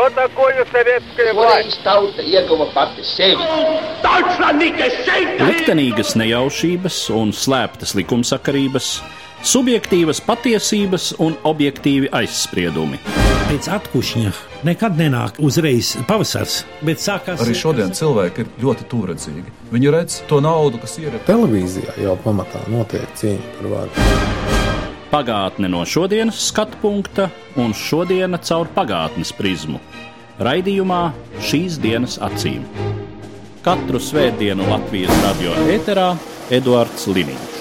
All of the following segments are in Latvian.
Что такое советская власть? Liktenīgas nejaušības un slēptas likumsakarības, subjektīvas patiesības un objektīvi aizspriedumi. Pēc atkušņa nekad nenāk uzreiz pavasars, bet sākās... Arī šodien cilvēki ir ļoti tūredzīgi. Viņi redz to naudu, kas ir. Televīzijā jau pamatā notiek cīņa par varu. Pagātne no šodienas skatu punkta un šodiena caur pagātnes prizmu. Raidījumā Šīs dienas acīm. Katru svētdienu Latvijas radio ēterā Eduards Liniņš.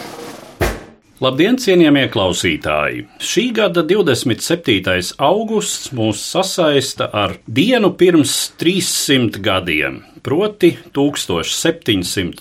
Labdien, cienījamie klausītāji! Šī gada 27. augusts mūs sasaista ar dienu pirms 300 gadiem, proti 1714.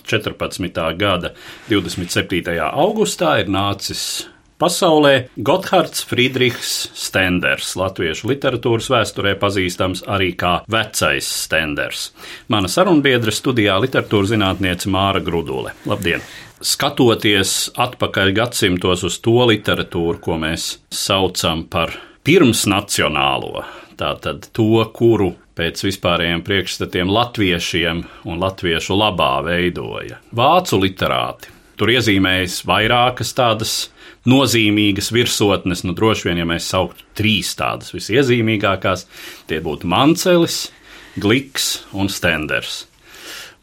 gada 27. augustā ir nācis pasaulē Gothards Friedrichs Stenders, latviešu literatūras vēsturē pazīstams arī kā Vecais Stenders. Mana sarunbiedre studijā literatūras zinātniece Māra Grudule. Labdien! Skatoties atpakaļ gadsimtos uz to literatūru, ko mēs saucam par pirmsnacionālo, tātad to, kuru pēc vispārējiem priekšstatiem latviešiem un latviešu labā veidoja vācu literāti. Tur iezīmējas vairākas tādas nozīmīgas virsotnes, droši vien, ja mēs sauktu 3 tādas visiezīmīgākās, tie būtu Mancelis, Gliks un Stenders.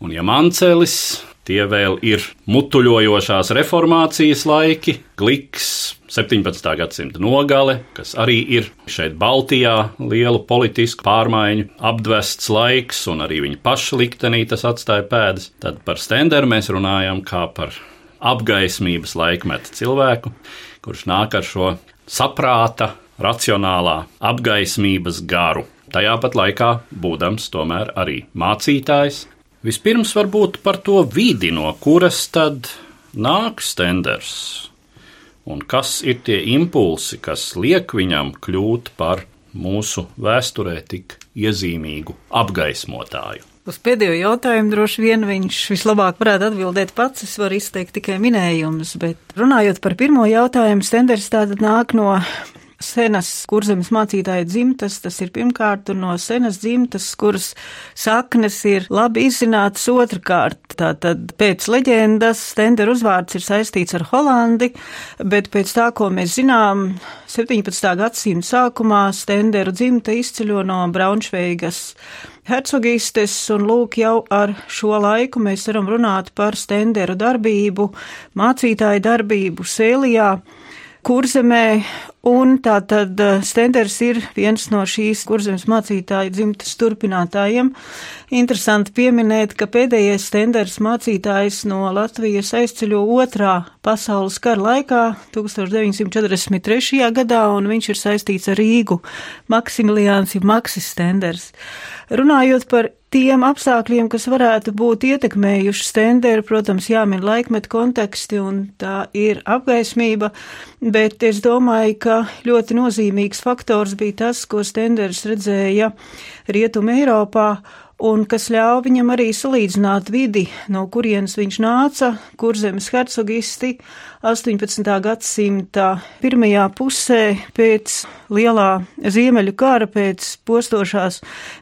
Un ja Mancelis, tie vēl ir mutuļojošās reformācijas laiki, Gliks 17. gadsimta nogale, kas arī ir šeit Baltijā lielu politisku pārmaiņu apdvests laiks, un arī viņa paša liktenī tas atstāja pēdas. Tad par Stenderu mēs runājam kā par apgaismības laikmeta cilvēku, kurš nāk ar šo saprāta, racionālā apgaismības garu. Tajā pat laikā būdams tomēr arī mācītājs. Vispirms varbūt par to vidi, no kuras tad nāk Stenders, un kas ir tie impulsi, kas liek viņam kļūt par mūsu vēsturē tik iezīmīgu apgaismotāju. Uz pēdējo jautājumu droši vien viņš vislabāk varētu atbildēt pats, es varu izteikt tikai minējumus, bet runājot par pirmo jautājumu, Stenders tātad nāk no senas Kurzemes mācītāja dzimtas, tas ir pirmkārt, un no senas dzimtas, kuras saknes ir labi izzinātas otrkārt. Tātad pēc leģendas Stendera uzvārds ir saistīts ar Holandi, bet pēc tā, ko mēs zinām, 17. gadsimta sākumā Stenderu dzimta izceļo no Braunšveigas hercogistes, un lūk, jau ar šo laiku mēs varam runāt par Stenderu darbību, mācītāju darbību Sēlijā, Kurzemē, un tātad Stenders ir viens no šīs Kurzemes mācītāju dzimtas turpinātājiem. Interesanti pieminēt, ka pēdējais Stenders mācītājs no Latvijas aizceļo 2. pasaules kara laikā, 1943. gadā, un viņš ir saistīts ar Rīgu, Maksimiliāns ir Maksis Stenders. Runājot par tiem apstākļiem, kas varētu būt ietekmējuši Stenderu, protams, jāmin laikmeta konteksti, un tā ir apgaismība, bet es domāju, ka ļoti nozīmīgs faktors bija tas, ko Stenders redzēja Rietuma Eiropā, un kas ļauj viņam arī salīdzināt vidi, no kurienes viņš nāca, Kurzemes hercogisti 18. gadsimta pirmajā pusē pēc lielā Ziemeļu kara, pēc postošās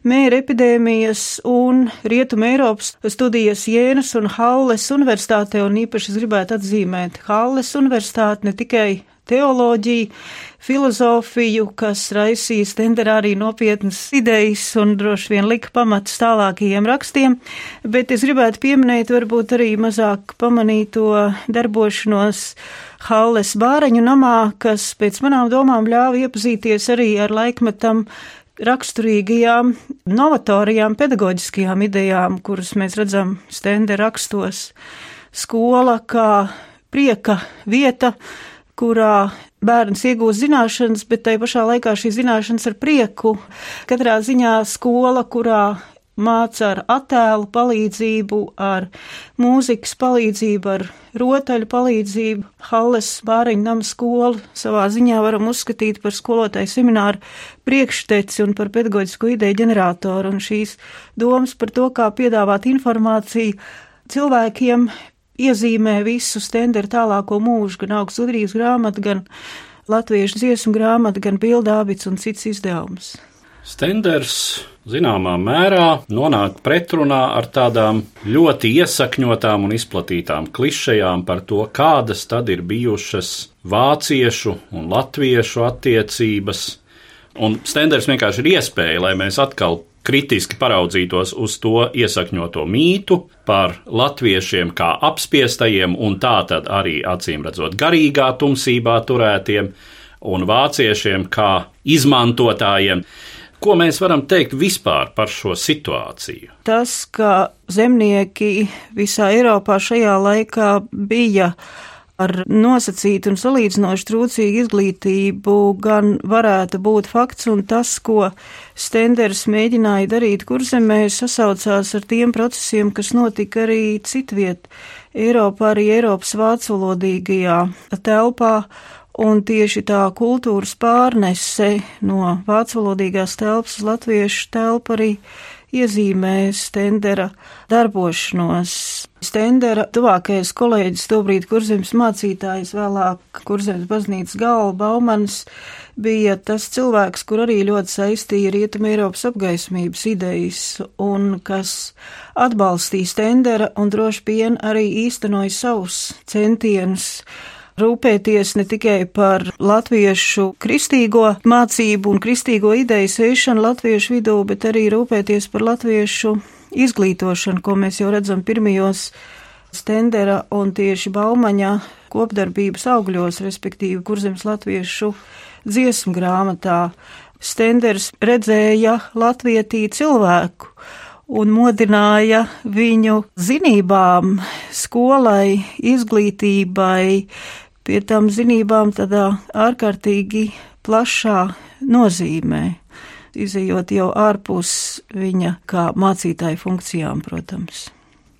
mēra epidēmijas un Rietuma Eiropas studijas Jēnas un Halles universitātē, un īpaši es gribētu atzīmēt Halles universitāti, ne tikai teoloģiju, filozofiju, kas raisīja Stenderā arī nopietnas idejas un droši vien lika pamatus tālākajiem rakstiem, bet es gribētu pieminēt varbūt arī mazāk pamanīto darbošanos Halles Bāreņu namā, kas pēc manām domām ļāva iepazīties arī ar laikmetam raksturīgajām, novatorijām, pedagoģiskajām idejām, kuras mēs redzam Stendera rakstos. Skola kā prieka vieta, kurā bērns iegūst zināšanas, bet tai pašā laikā šī zināšanas ar prieku. Katrā ziņā skola, kurā māca ar attēlu palīdzību, ar mūzikas palīdzību, ar rotaļu palīdzību. Halles Bāreņu nama skolu savā ziņā varam uzskatīt par skolotāju semināru priekšteci un par pedagoģisko ideju ģeneratoru, un šīs domas par to, kā piedāvāt informāciju cilvēkiem, iezīmē visu Stendera tālāko mūžu, gan Augusts Udrības grāmatu, gan latviešu dziesmu grāmatu, gan Bilda Ābits un cits izdevums. Stenders zināmā mērā nonāk pretrunā ar tādām ļoti iesakņotām un izplatītām klišejām par to, kādas tad ir bijušas vāciešu un latviešu attiecības. Un Stenders vienkārši ir iespēja, lai mēs atkal kritiski paraudzītos uz to iesakņoto mītu par latviešiem kā apspiestajiem un tātad arī acīmredzot garīgā tumsībā turētiem un vāciešiem kā izmantotājiem. Ko mēs varam teikt vispār par šo situāciju? Tas, ka zemnieki visā Eiropā šajā laikā bija ar nosacītu un salīdzinoši trūcīgu izglītību, gan varētu būt fakts, un tas, ko Stenders mēģināja darīt Kurzemē, sasaucās ar tiem procesiem, kas notika arī citviet Eiropā, arī Eiropas vācvalodīgajā telpā. Un tieši tā kultūras pārnese no vācvalodīgās telpas uz latviešu telpu arī iezīmē Stendera darbošanos. Stendera tuvākais kolēģis, tobrīd Kurzemes mācītājs, vēlāk Kurzemes baznīcas galva Baumans, bija tas cilvēks, kur arī ļoti saistīja Rietuma Eiropas apgaismības idejas un kas atbalstīja Stendera un droši vien arī īstenoja savus centienus rūpēties ne tikai par latviešu kristīgo mācību un kristīgo ideju sēšanu latviešu vidū, bet arī rūpēties par latviešu izglītošanu, ko mēs jau redzam pirmajos Stendera un tieši Baumaņa kopdarbības augļos, respektīvi Kurzemes latviešu dziesmu grāmatā. Stenders redzēja latvietī cilvēku un modināja viņu zinībām, skolai, izglītībai, pie tam zinībām tādā ārkārtīgi plašā nozīmē, izejot jau ārpus viņa kā mācītāja funkcijām, protams.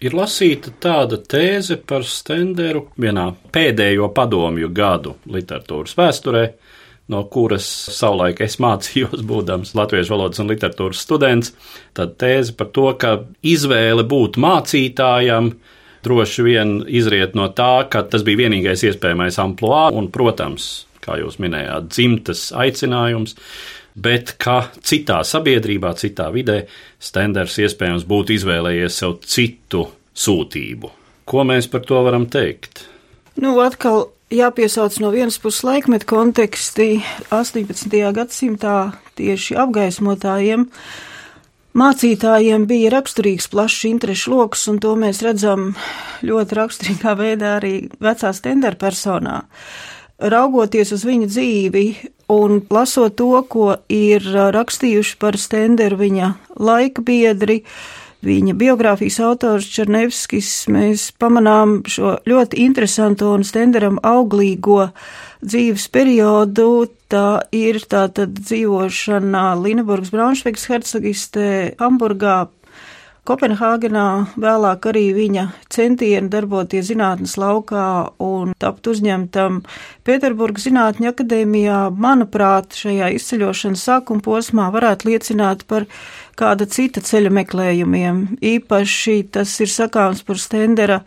Ir lasīta tāda tēze par Stenderu vienā pēdējo padomju gadu literatūras vēsturē, no kuras savulaik es mācījos, būdams latviešu valodas un literatūras students, tad tēze par to, ka izvēle būt mācītājam droši vien izriet no tā, ka tas bija vienīgais iespējamais amplua un, protams, kā jūs minējāt, dzimtas aicinājums, bet ka citā sabiedrībā, citā vidē Stenders iespējams būtu izvēlējies sev citu sūtību. Ko mēs par to varam teikt? Atkal jāpiesauc no vienas puses laikmetu konteksti 18. gadsimtā tieši apgaismotājiem. Mācītājiem bija raksturīgs plašs interešu loks, un to mēs redzam ļoti raksturīgā veidā arī vecā Stendera personā. Raugoties uz viņa dzīvi un lasot to, ko ir rakstījuši par Stenderu viņa laika biedri, viņa biogrāfijas autors Černevskis, mēs pamanām šo ļoti interesanto un Stenderam auglīgo dzīves periodu. Tā ir tātad dzīvošana Lineburgas Braunšveigas hercogistē, Hamburgā, Kopenhāgenā, vēlāk arī viņa centieni darboties zinātnes laukā un tapt uzņemtam Pēterburgas Zinātņu akadēmijā, manuprāt, šajā izceļošanas sākuma posmā varētu liecināt par kāda cita ceļa meklējumiem. Īpaši tas ir sakāms par Stendera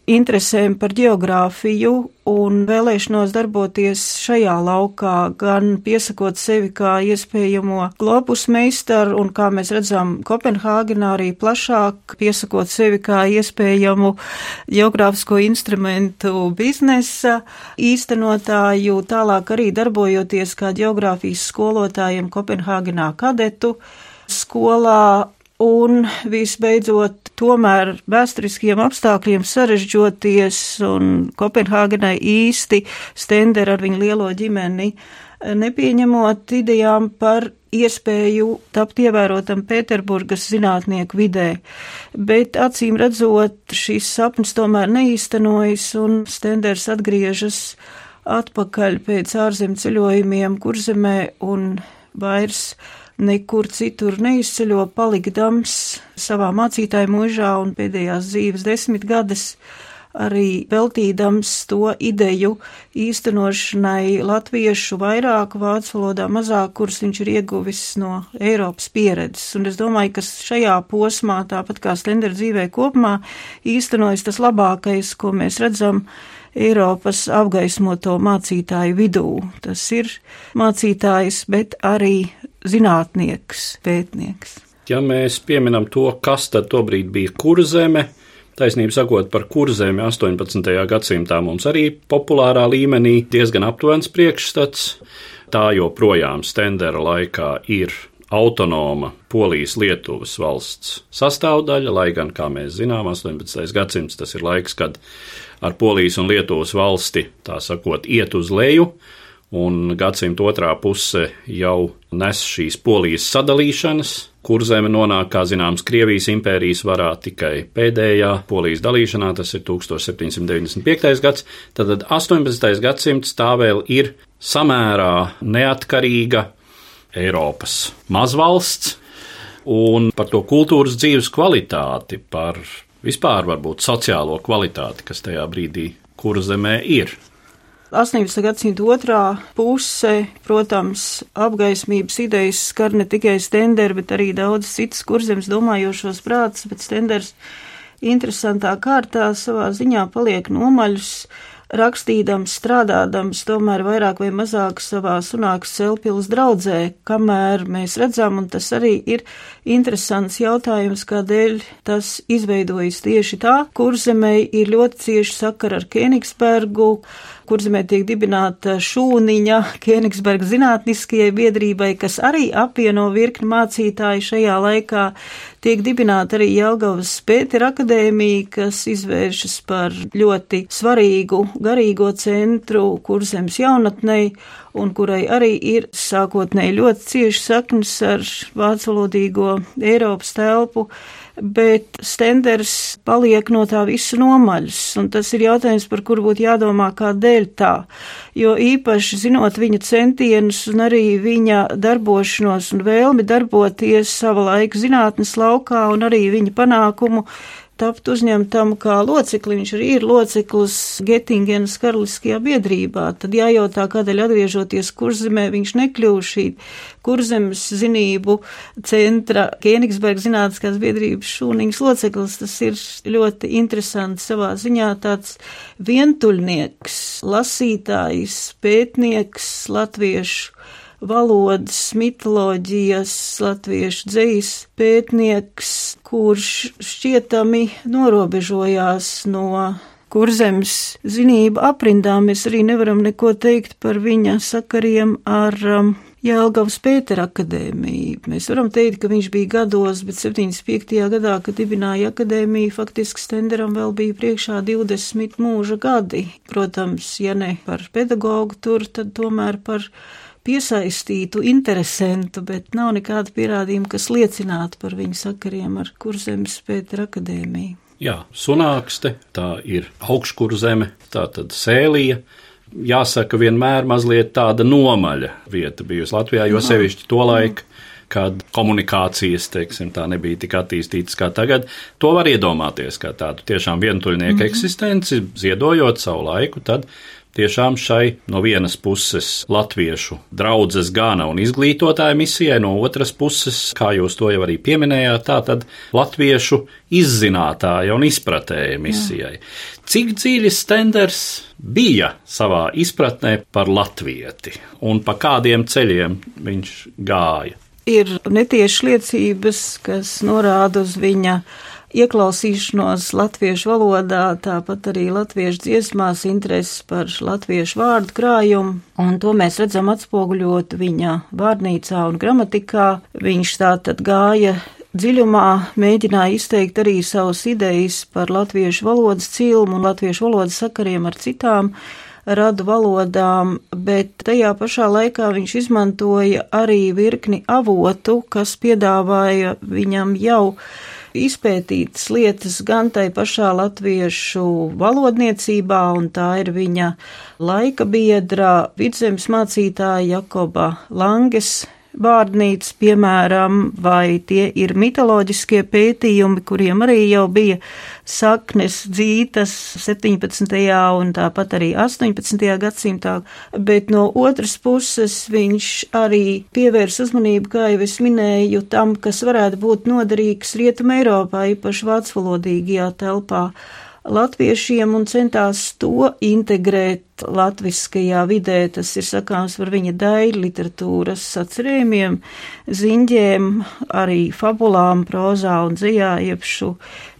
interesēm par geogrāfiju un vēlēšanos darboties šajā laukā, gan piesakot sevi kā iespējamo globus meistaru un, kā mēs redzam, Kopenhāgenā arī plašāk piesakot sevi kā iespējamu geogrāfisko instrumentu biznesa īstenotāju, tālāk arī darbojoties kā geogrāfijas skolotājiem Kopenhāgenā kadetu skolā. Un visbeidzot, tomēr vēsturiskiem apstākļiem sarežģoties un Kopenhāgenai īsti Stendera ar viņu lielo ģimeni nepieņemot idejām par iespēju tapt ievērotam Pēterburgas zinātnieku vidē. Bet acīm redzot, šis sapnis tomēr neīstenojas un Stenders atgriežas atpakaļ pēc ārzem ceļojumiem Kurzemē un vairs nekur citur neizceļo, palikdams savā mācītāja mūžā un pēdējās dzīves 10 gadus arī veltīdams to ideju īstenošanai latviešu vairāk, vācu valodā mazāk, kuras viņš ir ieguvis no Eiropas pieredzes. Un es domāju, ka šajā posmā, tāpat kā Stendera dzīvē kopumā, īstenojas tas labākais, ko mēs redzam Eiropas apgaismoto mācītāju vidū. Tas ir mācītājs, bet arī zinātnieks, pētnieks. Ja mēs pieminam to, kas tad tobrīd bija Kurzeme, taisnība sakot, par Kurzemi 18. gadsimtā mums arī populārā līmenī diezgan aptuvens priekšstats. Tā joprojām Stendera laikā ir autonoma Polijas-Lietuvas valsts sastāvdaļa, lai gan, kā mēs zinām, 18. gadsimts tas ir laiks, kad ar Polijas un Lietuvas valsti, tā sakot, iet uz leju, un gadsimta otrā puse jau nes šīs Polijas sadalīšanas. Kurzeme nonāk, kā zināms, Krievijas impērijas varā tikai pēdējā Polijas dalīšanā, tas ir 1795. gads, tad 18. gadsimts tā vēl ir samērā neatkarīga Eiropas mazvalsts, un par to kultūras dzīves kvalitāti, par vispār varbūt sociālo kvalitāti, kas tajā brīdī Kurzemē ir. 18. gadsimta otrā puse, protams, apgaismības idejas skar ne tikai Stenderu, bet arī daudz citas Kurzemes domājošos prātus, bet Stenders interesantā kārtā savā ziņā paliek nomaļus, rakstīdams, strādādams, tomēr vairāk vai mazāk savā Sunākas Celpils draudzē, kamēr mēs redzam, un tas arī ir interesants jautājums, kādēļ tas izveidojas tieši tā. Kurzemei ir ļoti cieši sakara ar Kēnigsbergu, Kurzemē tiek dibināta šūniņa Kēnigsberga zinātniskajai biedrībai, kas arī apvieno virkni mācītāju šajā laikā. Tiek dibināta arī Jelgavas Pētera akadēmija, kas izvēršas par ļoti svarīgu garīgo centru Kurzemes jaunatnei, un kurai arī ir sākotnēji ļoti cieši saknes ar vācvalodīgo Eiropas telpu, bet Stenders paliek no tā visu nomaļs, un tas ir jautājums, par kuru būtu jādomā, kādēļ tā, jo īpaši zinot viņa centienus un arī viņa darbošanos un vēlmi darboties sava laika zinātnes laukā un arī viņa panākumu tapt uzņemtam kā locekli, viņš arī ir loceklis Getingenas karaliskajā biedrībā, tad jājautā, kādēļ atgriežoties Kurzemē, viņš nekļuva šī Kurzemes zinību centra Kēnigsberga zinātniskās biedrības šūniņas loceklis. Tas ir ļoti interesanti savā ziņā, tāds vientuļnieks, lasītājs, pētnieks, latviešu valodas, mitoloģijas, latviešu dzejas pētnieks, kurš šķietami norobežojās no Kurzemes zinību aprindām. Mēs arī nevaram neko teikt par viņa sakariem ar Jelgavas Pētera akadēmiju. Mēs varam teikt, ka viņš bija gados, bet 75. gadā, kad dibināja akadēmiju, faktiski Stenderam vēl bija priekšā 20 mūža gadi. Protams, ja ne par pedagogu tur, tad tomēr par piesaistītu, interesantu, bet nav nekāda pierādījuma, kas liecinātu par viņu sakariem ar Kurzemes Pētera akadēmiju. Jā, Sunākste, tā ir Augškurzeme, tā tad Sēlija. Jāsaka, vienmēr mazliet tāda nomaļa vieta bijusi Latvijā, jo sevišķi to laiku, kad komunikācijas, teiksim, tā nebija tik attīstītas kā tagad. To var iedomāties kā tādu tiešām vientuļnieku eksistenci, ziedojot savu laiku, tad tiešām šai no vienas puses latviešu draudzes gana un izglītotāja misijai, no otras puses, kā jūs to jau arī pieminējāt, tā tad latviešu izzinātāja un izpratēja misijai. Cik dziļi Stenders bija savā izpratnē par latvieti un pa kādiem ceļiem viņš gāja? Ir netieši liecības, kas norāda uz viņa ieklausīšanos latviešu valodā, tāpat arī latviešu dziesmās, intereses par latviešu vārdu krājumu, un to mēs redzam atspoguļot viņa vārnīcā un gramatikā. Viņš tātad gāja dziļumā, mēģināja izteikt arī savas idejas par latviešu valodas cilmu un latviešu valodas sakariem ar citām radu valodām, bet tajā pašā laikā viņš izmantoja arī virkni avotu, kas piedāvāja viņam jau izpētītas lietas gan tai pašā latviešu valodniecībā, un tā ir viņa laika biedra, Vidzemes mācītāja Jakoba Langes vārnīca, piemēram, vai tie ir mitoloģiskie pētījumi, kuriem arī jau bija saknes dzītas 17. un tāpat arī 18. gadsimtā, bet no otras puses viņš arī pievērs uzmanību, kā jau es minēju, tam, kas varētu būt noderīgs Rietumē Eiropā, īpaši vācvalodīgajā telpā. latviešiem un centās to integrēt latviskajā vidē. Tas ir sakāms par viņa daļu literatūras sacerējumiem, ziņģiem, arī fabulām, prozā un dzejā, iepšu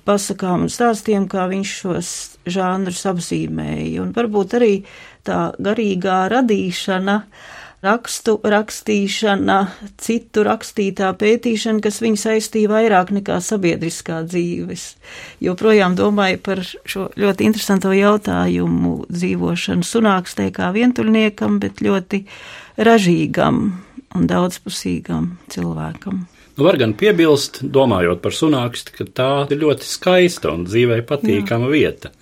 pasakām un stāstiem, kā viņš šos žānrus apzīmēja. Un varbūt arī tā garīgā radīšana, rakstu rakstīšana, citu rakstītā pētīšana, kas viņu saistīja vairāk nekā sabiedriskā dzīves. Joprojām domāju par šo ļoti interesanto jautājumu dzīvošanu Sunākstē kā vientuļniekam, bet ļoti ražīgam un daudzpusīgam cilvēkam. Var gan piebilst, domājot par Sunāksti, ka tā ir ļoti skaista un dzīvē patīkama vieta.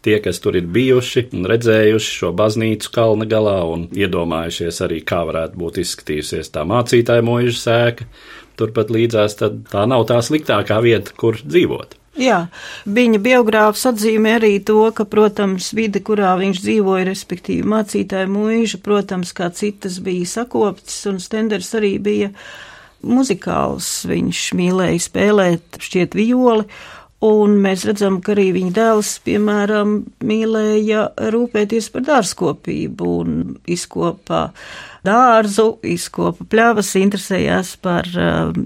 Tie, kas tur ir bijuši un redzējuši šo baznīcu kalna galā un iedomājušies arī, kā varētu būt izskatījusies tā mācītāja mūža sēka, turpat līdzās, tad tā nav tā sliktākā vieta, kur dzīvot. Jā, viņa biogrāfs atzīmē arī to, ka, protams, vide, kurā viņš dzīvoja, respektīvi mācītāja mūža, protams, kā citas bija sakoptas, un Stenders arī bija muzikāls. Viņš mīlēja spēlēt, šķiet, violi. Un mēs redzam, ka arī viņa dēls, piemēram, mīlēja rūpēties par dārzkopību un izkopa dārzu, izkopa pļavas, interesējās par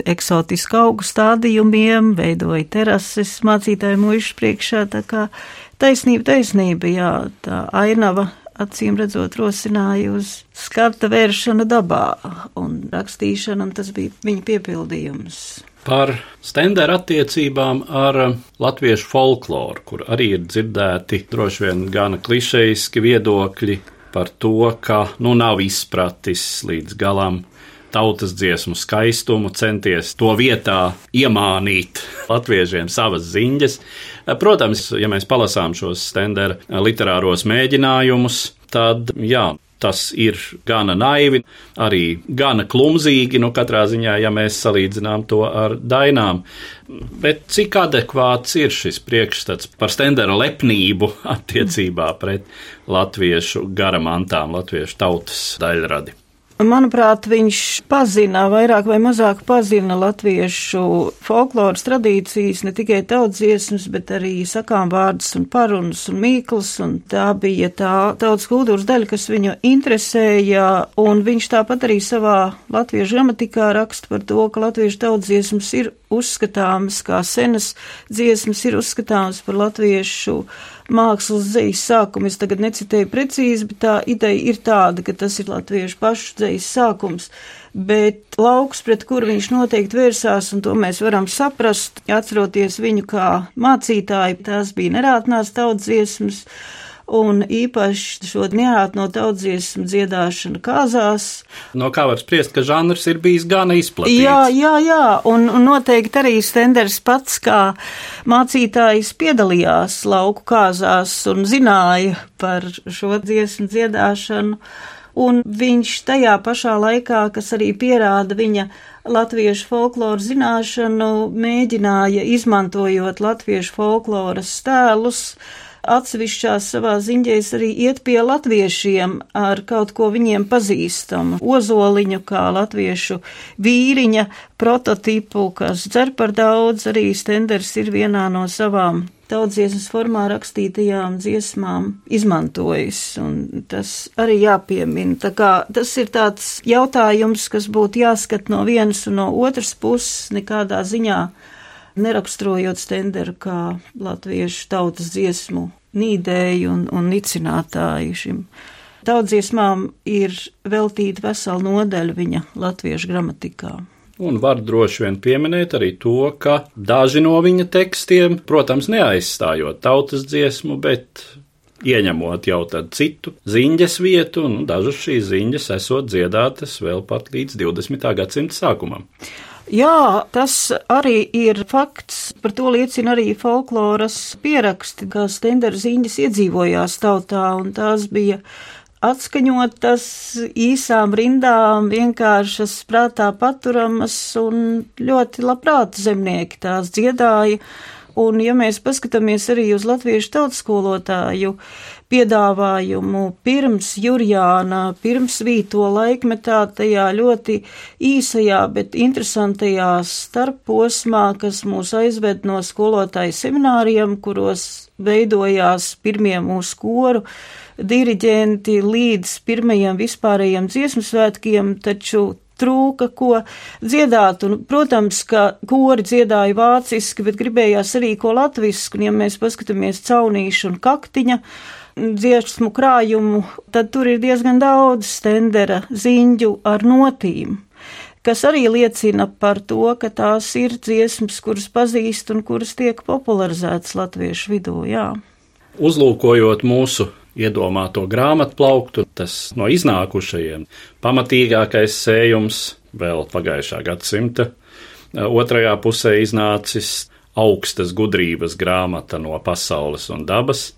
eksotisku augu stādījumiem, veidoja terases mācītāju mūžas priekšā, tā kā taisnība, jā, tā ainava, acīm redzot, rosināja uz skata vēršanu dabā un rakstīšanu, un tas bija viņa piepildījums. Par Stendera attiecībām ar latviešu folkloru, kur arī ir dzirdēti droši vien gana klišejiski viedokļi par to, ka nav izpratis līdz galam tautas dziesmu skaistumu, centies to vietā iemānīt latviešiem savas ziņas. Protams, ja mēs palasām šos Stendera literāros mēģinājumus, tad jā, tas ir gana naivi, arī gana klumzīgi, katrā ziņā, ja mēs salīdzinām to ar dainām. Bet cik adekvāts ir šis priekšstats par Stendera lepnību attiecībā pret latviešu garamantām, latviešu tautas daļradi? Manuprāt, viņš pazina, vairāk vai mazāk pazina latviešu folkloras tradīcijas, ne tikai tautsdziesmas, bet arī sakām vārdus un parunas un mīklas, un tā bija tā tautas kultūras daļa, kas viņu interesēja, un viņš tāpat arī savā latviešu gramatikā raksta par to, ka latviešu tautsdziesmas ir uzskatāmas kā senas dziesmas, ir uzskatāmas par latviešu mākslas dzejas sākumu. Es tagad necitēju precīzi, bet tā ideja ir tāda, ka tas ir latviešu pašu dzejas sākums, bet lauks, pret kuru viņš noteikti vērsās, un to mēs varam saprast, atceroties viņu kā mācītāju, tās bija nerātnās tautsdziesmas, un īpaši šo neātno tautsdziesmu dziedāšanu kāzās. No kā var spriest, ka žanrs ir bijis gana izplatīts. Jā, un noteikti arī Stenders pats kā mācītājs piedalījās lauku kāzās un zināja par šo dziesmu dziedāšanu, un viņš tajā pašā laikā, kas arī pierāda viņa latviešu folkloru zināšanu, mēģināja, izmantojot latviešu folkloras tēlus, atsevišķās savā ziņģēs arī iet pie latviešiem ar kaut ko viņiem pazīstamu. Ozoliņu kā latviešu vīriņa prototipu, kas dzer par daudz, arī Stenders ir vienā no savām tautsdziesmas formā rakstītajām dziesmām izmantojis, un tas arī jāpiemina. Tā kā tas ir tāds jautājums, kas būtu jāskat no vienas un no otras puses, nekādā ziņā neraksturojot Stenderu kā latviešu tautas dziesmu nīdēju un nicinātāju šim. Tautsdziesmām ir veltīta vesela nodaļa viņa latviešu gramatikā. Un var droši vien pieminēt arī to, ka daži no viņa tekstiem, protams, neaizstājot tautas dziesmu, bet ieņemot jau tad citu ziņģes vietu, un dažas šīs ziņģes esot dziedātas vēl pat līdz 20. gadsimta sākumam. Jā, tas arī ir fakts, par to liecina arī folkloras pieraksti, kā Stendera ziņģes iedzīvojās tautā, un tās bija atskaņotas īsām rindām, vienkāršas prātā paturamas, un ļoti labprāt zemnieki tās dziedāja. Un, ja mēs paskatāmies arī uz latviešu tautskolotāju piedāvājumu pirms Jurjāna, pirms Vīto laikmetā, tajā ļoti īsajā, bet interesantajā starpposmā, kas mūs aizved no skolotāju semināriem, kuros veidojās pirmie mūsu koru diriģenti līdz pirmajiem vispārējiem dziesmu svētkiem, taču trūka, ko dziedāt, un, protams, ka kori dziedāja vāciski, bet gribējās arī ko latvisku, un ja mēs paskatāmies Caunīšu un Kaktiņa dziesmu krājumu, tad tur ir diezgan daudz Stendera ziņģu ar notīm, kas arī liecina par to, ka tās ir dziesmas, kuras pazīst un kuras tiek popularizētas latviešu vidū, jā. Uzlūkojot mūsu iedomāto grāmatplauktu, tas no iznākušajiem pamatīgākais sējums vēl pagājušā gadsimta otrajā pusē iznācis augstas gudrības grāmata no pasaules un dabas.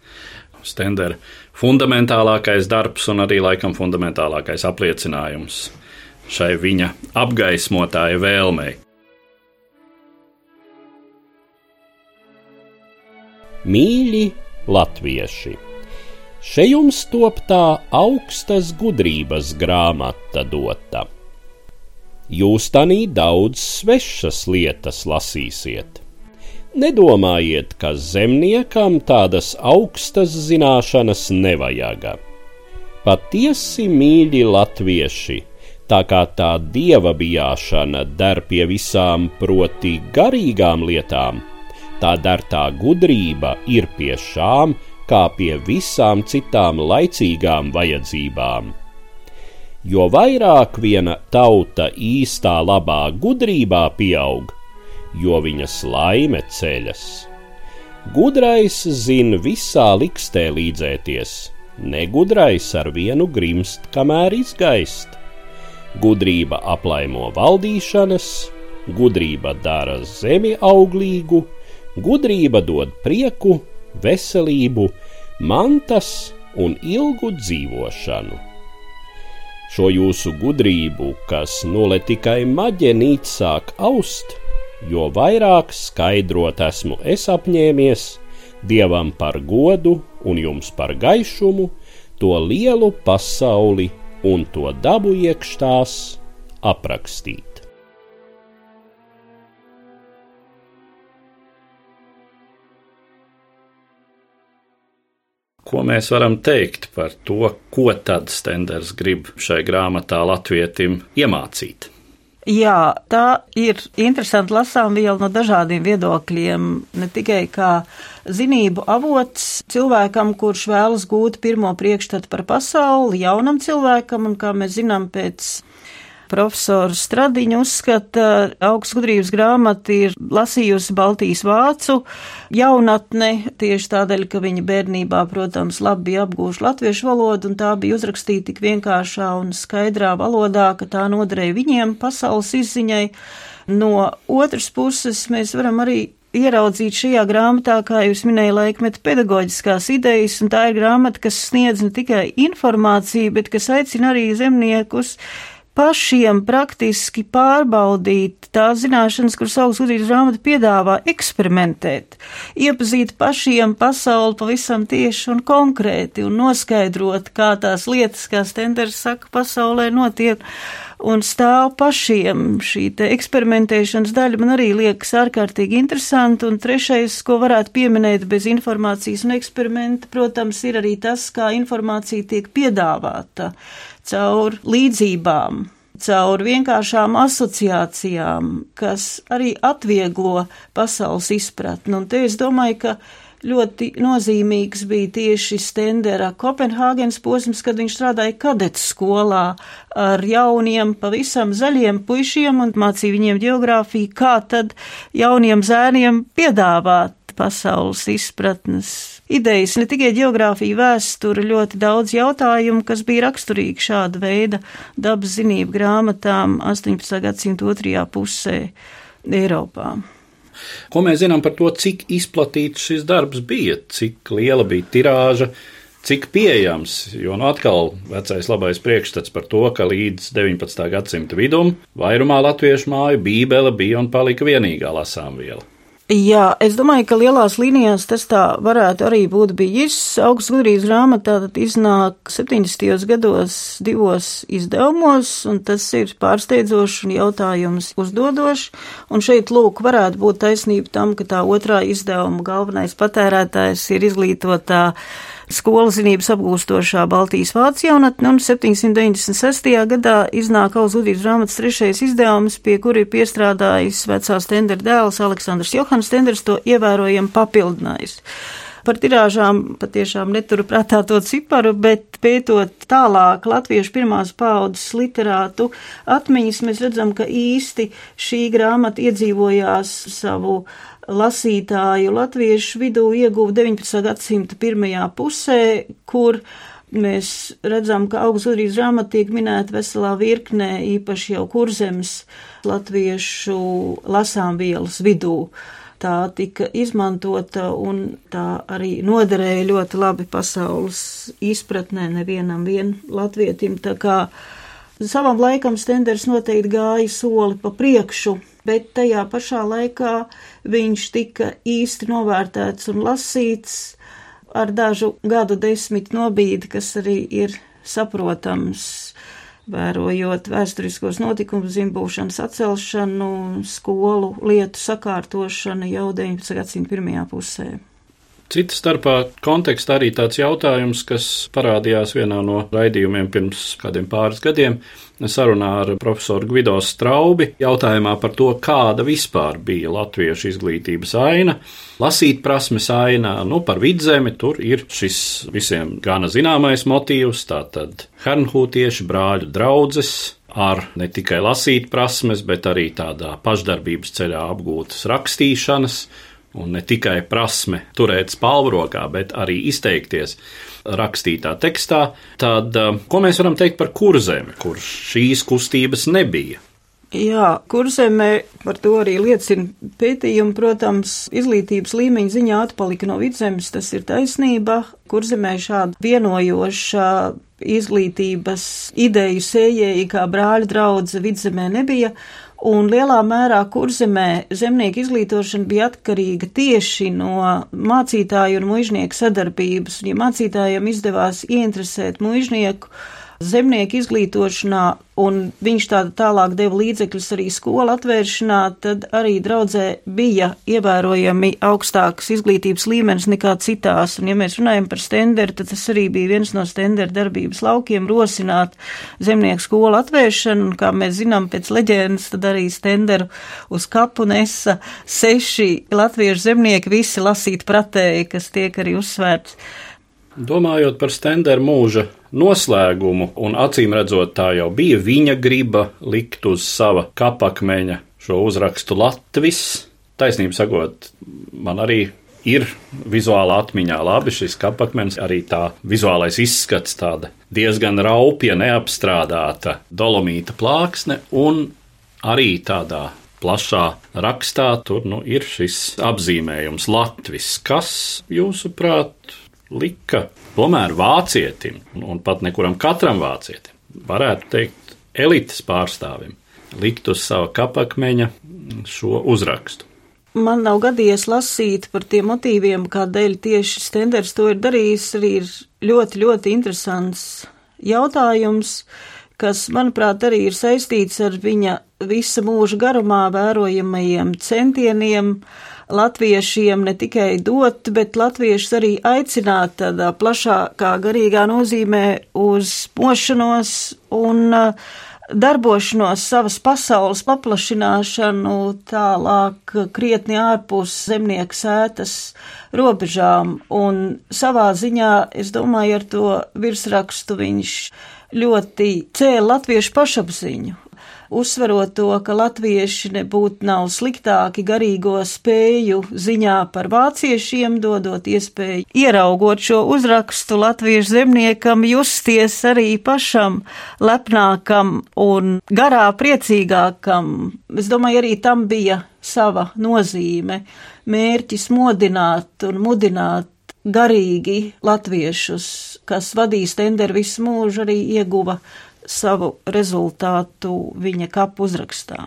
Stendera fundamentālākais darbs un arī laikam fundamentālākais apliecinājums šai viņa apgaismotāja vēlmei. Mīļi latvieši! Še jums top tā augstas gudrības grāmata dota. Jūs tanī daudz svešas lietas lasīsiet. Nedomājiet, ka zemniekam tādas augstas zināšanas nevajaga. Patiesi, mīļi latvieši, tā kā tā dieva bijāšana der pie visām proti garīgām lietām, tā der tā gudrība ir pie šām, kā pie visām citām laicīgām vajadzībām. Jo vairāk viena tauta īstā labā gudrībā pieaug, jo viņas laime ceļas. Gudrais zin visā likstē līdzēties, negudrais ar vienu grimst, kamēr izgaist. Gudrība aplaimo valdīšanas, gudrība dara zemi auglīgu, gudrība dod prieku, veselību, mantas un ilgu dzīvošanu. Šo jūsu gudrību, kas nole tikai maģenīt sāk aust, jo vairāk skaidrot esmu es apņēmies, Dievam par godu un jums par gaišumu, to lielu pasauli un to dabu iekš tās aprakstīt. Ko mēs varam teikt par to, ko tad Stenders grib šai grāmatā latvietim iemācīt? Jā, tā ir interesanti lasāmviela no dažādiem viedokļiem, ne tikai kā zinību avots cilvēkam, kurš vēlas gūt pirmo priekšstatu par pasauli, jaunam cilvēkam, un kā mēs zinām pēc profesora Stradiņa uzskata, augstas gudrības grāmata ir lasījusi Baltijas vācu jaunatne, tieši tādēļ, ka viņa bērnībā, protams, labi bija apgūši latviešu valodu, un tā bija uzrakstīta tik vienkāršā un skaidrā valodā, ka tā noderēja viņiem pasaules izziņai. No otras puses, mēs varam arī ieraudzīt šajā grāmatā, kā jūs minēja, laikmeta pedagoģiskās idejas, un tā ir grāmata, kas sniedz ne tikai informāciju, bet kas aicina arī zemniekus pašiem praktiski pārbaudīt tās zināšanas, kuras augstas gudrības grāmata piedāvā, eksperimentēt, iepazīt pašiem pasauli pavisam tieši un konkrēti un noskaidrot, kā tās lietas, kā Stenders saka, pasaulē notiek un stāv pašiem. Šī te eksperimentēšanas daļa man arī liekas ārkārtīgi interesanti, un trešais, ko varētu pieminēt bez informācijas un eksperimenta, protams, ir arī tas, kā informācija tiek piedāvāta caur līdzībām, caur vienkāršām asociācijām, kas arī atvieglo pasaules izpratni. Un te es domāju, ka ļoti nozīmīgs bija tieši Stendera Kopenhāgenes posms, kad viņš strādāja kadetes skolā ar jauniem, pavisam zaļiem puišiem un mācīja viņiem ģeogrāfiju, kā tad jauniem zēniem piedāvāt pasaules izpratnes idejas, ne tikai ģeogrāfija, vēsture, ļoti daudz jautājumu, kas bija raksturīgi šāda veida dabas zinību grāmatām 18. gadsimta otrajā pusē Eiropā. Ko mēs zinām par to, cik izplatīts šis darbs bija, cik liela bija tirāža, cik pieejams, jo atkal vecais labais priekšstats par to, ka līdz 19. gadsimta vidum vairumā latviešu māju Bībele bija un palika vienīgā lasāmviela. Jā, es domāju, ka lielās līnijās tas tā varētu arī būt bijis. Augstas gudrības grāmatā tad iznāk 70. gados 2 izdevumos, un tas ir pārsteidzoši un jautājums uzdodoši. Un šeit, lūk, varētu būt taisnība tam, ka tā otrā izdevuma galvenais patērētājs ir izglītotā skolu zinības apgūstošā Baltijas vācu jaunatne, un 796. gadā iznāk Augstas gudrības grāmatas 3. izdevums, pie kura ir piestrādājis vecā Stendera dēls Aleksandrs Johans Stenders, to ievērojami papildinājis. Par tirāžām patiešām neturu prātā to ciparu, bet pētot tālāk latviešu pirmās paaudzes literātu atmiņas, mēs redzam, ka īsti šī grāmata iedzīvojās savu lasītāju latviešu vidū, ieguva 19. gadsimta pirmajā pusē, kur mēs redzam, ka Augstas gudrības grāmata tiek minēta veselā virknē, īpaši jau Kurzemes latviešu lasāmvielas vidū. Tā tika izmantota un tā arī noderēja ļoti labi pasaules izpratnē nevienam latvietim. Tā kā savam laikam Stenders noteikti gāja soli pa priekšu, bet tajā pašā laikā viņš tika īsti novērtēts un lasīts ar dažu gadu desmitu nobīdi, kas arī ir saprotams, vērojot vēsturiskos notikumus, zimbūšanas atcelšanu, skolu lietu sakārtošanu jau 19. gadsimta pirmajā pusē. Cita starpā kontekstā arī tāds jautājums, kas parādījās vienā no raidījumiem pirms kādiem pāris gadiem, sarunā ar profesoru Gvido Straubi, jautājumā par to, kāda vispār bija latviešu izglītības aina, lasīt prasmes aina, par Vidzemi, tur ir šis visiem gana zināmais motīvs, tātad hernhūtieši, brāļu draudzes, ar ne tikai lasīt prasmes, bet arī tādā pašdarbības ceļā apgūtas rakstīšanas, un ne tikai prasme turēt spalvu rokā, bet arī izteikties rakstītā tekstā, tad ko mēs varam teikt par Kurzemi, kur šīs kustības nebija? Jā, Kurzemē par to arī liecina pētījumi, protams, izglītības līmeņa ziņā atpalika no Vidzemes, tas ir taisnība. Kurzemē šāda vienojoša izglītības ideju sējēji kā brāļu draudze Vidzemē nebija, un lielā mērā Kurzemē zemnieku izglītošana bija atkarīga tieši no mācītāju un muižnieku sadarbības, un ja mācītājiem izdevās ieinteresēt muižnieku zemnieku izglītošanā, un viņš tālāk deva līdzekļus arī skolu atvēršanā, tad arī draudzē bija ievērojami augstāks izglītības līmenis nekā citās. Un ja mēs runājam par Stenderu, tad tas arī bija viens no Stendera darbības laukiem rosināt zemnieku skolu atvēršanu, un kā mēs zinām pēc leģendas, tad arī Stenderu uz kapu nesa 6 latviešu zemnieki, visi lasīt pratēji, kas tiek arī uzsvērts. Domājot par Stendera mūža noslēgumu, un acīm redzot, tā jau bija viņa griba likt uz sava kapakmeņa šo uzrakstu Latvis. Taisnību sakot, man arī ir vizuālā atmiņā labi šis kapakmenis, arī tā vizuālais izskats, tāda diezgan raupja, neapstrādāta dolomīta plāksne, un arī tādā plašā rakstā tur ir šis apzīmējums Latvis, kas, jūsuprāt, lika tomēr vācietim, un pat nekuram katram vācietim, varētu teikt elites pārstāvim, likt uz sava kapakmeņa šo uzrakstu. Man nav gadījies lasīt par tiem motīviem, kādēļ tieši Stenders to ir darījis, arī ir ļoti, ļoti interesants jautājums, kas, manuprāt, arī ir saistīts ar viņa visa mūža garumā vērojamajiem centieniem latviešiem ne tikai dot, bet latviešus arī aicināt tādā plašākā garīgā nozīmē uz mošanos un darbošanos, savas pasaules paplašināšanu tālāk krietni ārpus zemnieku sētas robežām. Un savā ziņā, es domāju, ar to virsrakstu viņš ļoti cēla latviešu pašapziņu, uzsverot to, ka latvieši nebūtu nav sliktāki garīgo spēju ziņā par vāciešiem, dodot iespēju ieraugot šo uzrakstu latviešu zemniekam, justies arī pašam lepnākam un garā priecīgākam. Es domāju, arī tam bija sava nozīme, mērķis modināt un mudināt garīgi latviešus, kas vadīja Stenderu visu mūžu, arī ieguva savu rezultātu viņa kapu uzrakstā.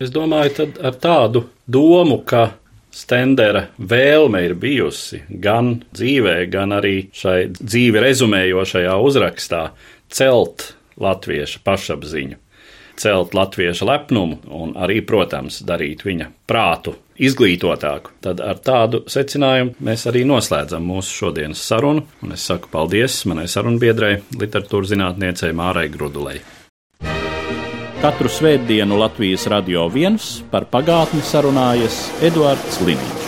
Es domāju, tad ar tādu domu, ka Stendera vēlme ir bijusi gan dzīvē, gan arī šai dzīvi rezumējošajā uzrakstā celt latvieša pašapziņu, celt latvieša lepnumu un arī, protams, darīt viņa prātu izglītotāku. Tad ar tādu secinājumu mēs arī noslēdzam mūsu šodienas sarunu, un es saku paldies manai sarunbiedrei, literatūras zinātniecei Mārai Grudulei. Katru svētdienu Latvijas Radio 1 par pagātni sarunājas Eduards Liniņš.